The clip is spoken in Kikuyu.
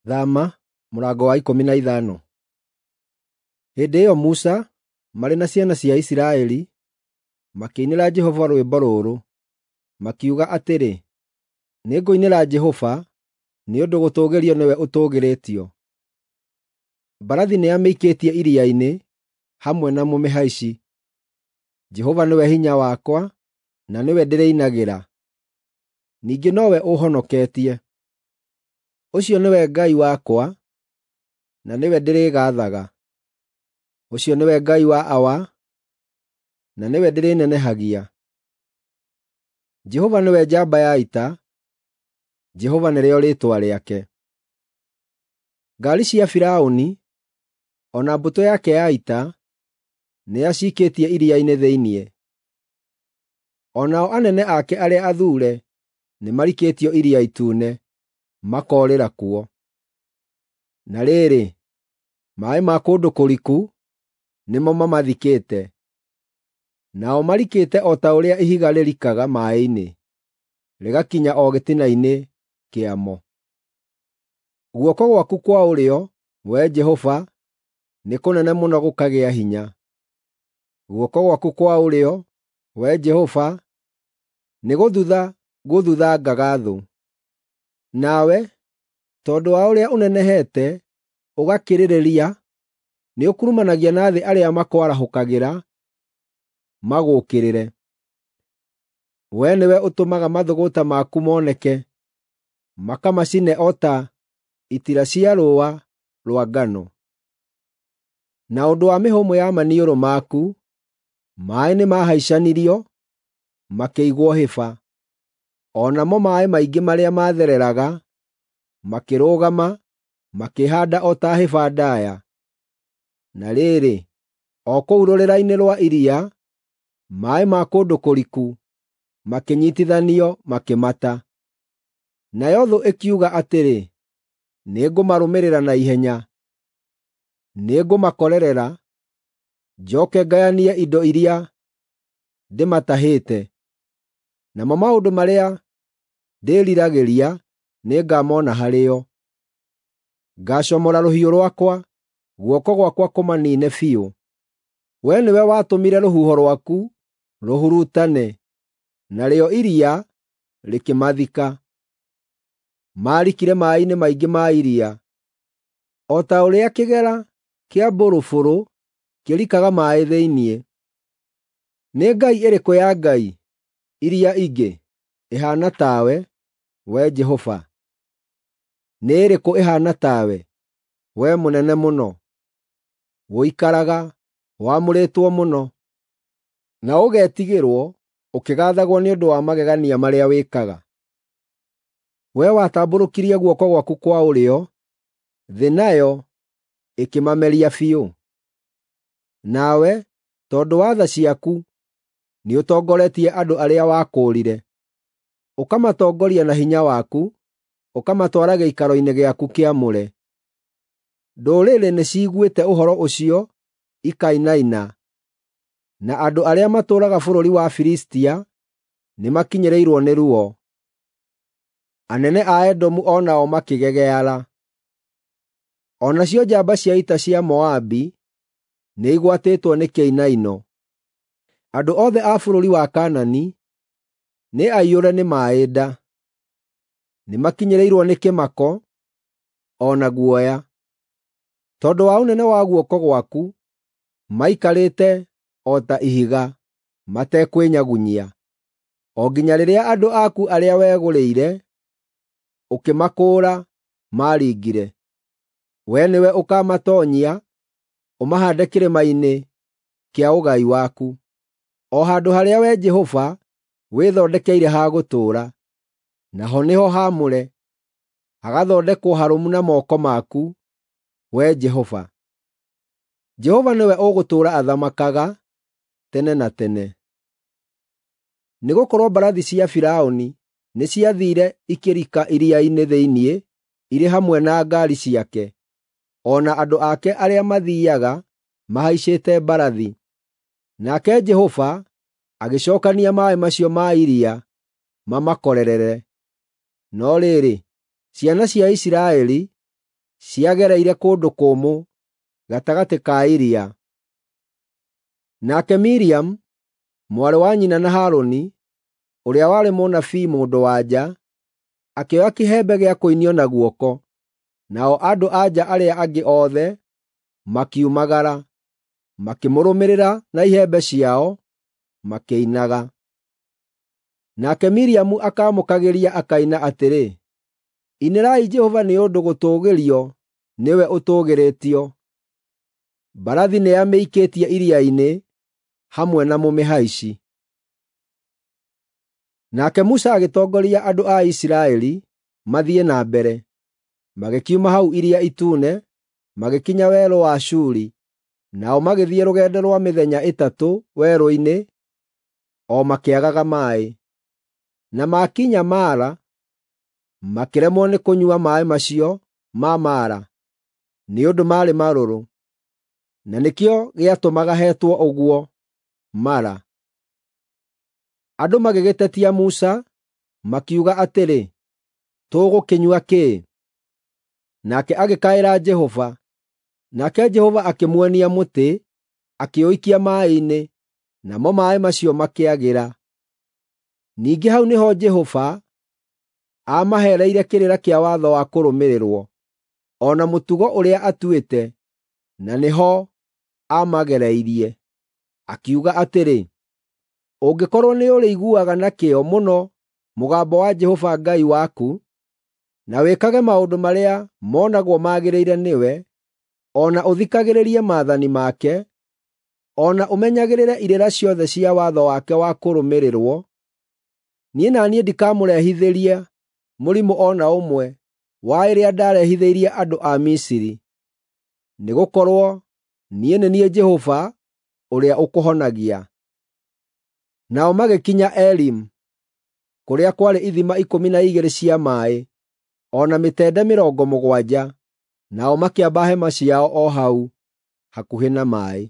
Thama mũrango wa 15. Hĩndĩ ĩyo Musa, marĩ na ciana cia Isiraeli, makĩinĩra Jehova rwĩmbo rũrũ, makiuga atĩrĩ, “Nĩngũinĩra Jehova, nĩ ũndũ gũtũũgĩrio nĩwe ũtũũgĩrĩtio. Mbarathi nĩamĩikĩtie iria-inĩ hamwe na mũmĩhaici. Jehova nĩwe hinya wakwa, na nĩwe ndĩrĩinagĩra; ningĩ nowe ũũhonoketie. Ũcio nĩwe Ngai wakwa, na nĩwe ndĩrĩgaathaga; ũcio nĩwe Ngai wa awa, na nĩwe ndĩrĩnenehagia. Jehova nĩwe njamba ya ita; Jehova nĩrĩo rĩĩtwa rĩake. Ngaari cia Firaũni, o na mbũtũ yake ya ita, nĩacikĩtie iria-inĩ thĩinĩ. O nao anene ake arĩa athuure nĩmarikĩtio Iria Itune, makoorĩra kuo. Na rĩrĩ, maaĩ ma kũndũ kũriku nĩmo mamathikĩte, nao marikĩte o ta ũrĩa ihiga rĩrikaga maaĩ-inĩ, rĩgakinya o gĩtina-inĩ kĩamo. Guoko gwaku kwa ũrĩo, Wee Jehova, nĩ kũnene mũno gũkagĩa hinya. Guoko gwaku kwa ũrĩo, Wee Jehova, nĩgũthutha gũthuthangaga thũ. Nawe, tondũ wa ũrĩa ũnenehete ũgakĩrĩrĩria, nĩũkurumanagia na thĩ arĩa makwarahũkagĩra magũũkĩrĩre. Wee nĩwe ũtũmaga mathũgũta maku moneke, makamacine o ta itira cia rũũa rwa ngano. Na ũndũ wa mĩhũmũ ya maniũrũ maku, maaĩ nĩmahaicanirio, makĩigwo hĩba; o namo maaĩ maingĩ marĩa maathereraga makĩrũgama, makĩĩhaanda o ta hĩba ndaaya. Na rĩrĩ, o kũu rũrĩra-inĩ rwa iria, maaĩ ma kũndũ kũriku makĩnyiitithanio makĩmata. Nayo thũ ĩkiuga atĩrĩ, ‘Nĩngũmarũmĩrĩra na ihenya; nĩngũmakorerera, njooke ngayanie indo iria ndĩmatahĩte. Namo maũndũ marĩa ndĩĩriragĩria nĩngamona harĩo. Ngaacomora rũhiũ rwakwa, guoko gwakwa kũmaniine biũ.’ Wee nĩwe watũmire rũhuho rwaku rũhurutane, narĩo iria rĩkĩmathika. Maarikire maaĩ-inĩ maingĩ ma iria, o ta ũrĩa kĩgera kĩa mbũrũbũrũ kĩrikaga maaĩ thĩinĩ. Nĩ ngai ĩrĩkũ ya ngai iria ingĩ ĩhaana tawe, Wee Jehova? Nĩ ĩrĩkũ ĩhaana tawe, Wee mũnene mũno? Ũikaraga wamũrĩtwo mũno, na ũgetigĩrwo ũkĩgaathagwo nĩ ũndũ wa magegania marĩa wĩkaga. Wee watambũrũkirie guoko gwaku kwa ũrĩo, thĩ nayo ĩkĩmameria biũ. Nawe, tondũ wa tha ciaku, nĩũtongoretie andũ arĩa wakũũrire, ũkamatongoria na hinya waku, ũkamatwara gĩikaro-inĩ gĩaku kĩamũre. Ndũrĩrĩ nĩciiguĩte ũhoro ũcio ikainaina, na andũ arĩa matũũraga bũrũri wa Filistia nĩmakinyĩrĩirwo nĩ ruo. Anene a Edomu o nao makĩgegeara. O nacio njamba cia ita cia Moabi nĩigwatĩtwo nĩ kĩinaino. Andũ othe a bũrũri wa Kaanani nĩ aiyũre nĩ maaĩ nda; nĩmakinyĩrĩirwo nĩ kĩmako o na guoya. Tondũ wa ũnene wa guoko gwaku, maikarĩte o ta ihiga, matekwĩnyagunyia, o nginya rĩrĩa andũ aku arĩa wegũrĩire, ũkĩmakũũra, maaringire. Wee nĩwe ũkaamatoonyia, ũmahaande kĩrĩma-inĩ kĩa ũgai waku, o handũ harĩa Wee Jehova wĩthondekeire ha gũtũũra, naho nĩho haamũre, hagathondekwo harũmu na moko maku, Wee Jehova. Jehova nĩwe ũgũtũũra athamakaga tene na tene. Nĩgũkorwo mbarathi cia Firaũni nĩciathiire ikĩrika iria-inĩ thĩinĩ irĩ hamwe na ngaari ciake, o na andũ ake arĩa mathiiaga mahaicĩte mbarathi. Nake Jehova agĩcookania maaĩ macio ma iria mamakorerere. No rĩrĩ, ciana cia Isiraeli ciagereire kũndũ kũmũ gatagatĩ ka iria. Nake Miriamu, mwarĩ wa nyina na Harũni, ũrĩa warĩ mũnabii mũndũ-wa-nja, akĩoya kĩhembe gĩa kũinio na guoko, nao andũ-a-nja arĩa angĩ othe makiumagara, makĩmũrũmĩrĩra na ihembe ciao, makĩinaga. Nake Miriamu akaamũkagĩria akaina atĩrĩ, “Inĩrai Jehova nĩ ũndũ gũtũũgĩrio nĩwe ũtũũgĩrĩtio. Mbarathi nĩamĩikĩtie iria-inĩ hamwe na mũmĩhaici.” Nake Musa agĩtongoria andũ a Isiraeli mathiĩ na mbere, magĩkiuma hau Iria Itune, magĩkinya werũ wa Shuri, nao magĩthiĩ rũgendo rwa mĩthenya ĩtatũ werũ-inĩ o makĩagaga maaĩ. Na maakinya Mara, makĩremwo nĩ kũnyua maaĩ macio ma Mara, nĩ ũndũ maarĩ marũrũ. Na nĩkĩo gĩatũmaga hetwo ũguo Mara. Andũ magĩgĩtetia Musa, makiuga atĩrĩ, “Tũgũkĩnyua kĩĩ?” Nake agĩkaĩra Jehova, nake Jehova akĩmuonia mũtĩ, akĩũikia maaĩ-inĩ, namo maaĩ macio makĩagĩra. Ningĩ hau nĩho Jehova aamaheereire kĩrĩra kĩa watho wa kũrũmĩrĩrwo, o na mũtugo ũrĩa atuĩte, na nĩho aamagereirie. Akiuga atĩrĩ, “Ũngĩkorwo nĩũrĩiguaga na kĩyo mũno mũgambo wa Jehova Ngai waku, na wĩkage maũndũ marĩa monagwo magĩrĩire nĩwe, o na ũthikagĩrĩrie maathani make, o na ũmenyagĩrĩre irĩra ciothe cia watho wake wa kũrũmĩrĩrwo, niĩ na niĩ ndikamũrehithĩria mũrimũ o na ũmwe wa ĩrĩa ndaarehithĩirie andũ a Misiri, nĩgũkorwo niĩ nĩ niĩ Jehova ũrĩa ũkũhonagia.” Nao magĩkinya Elimu, kũrĩa kwarĩ ithima 12 cia maaĩ, o na mĩtende 70, nao makĩamba hema ciao o hau hakuhĩ na maaĩ.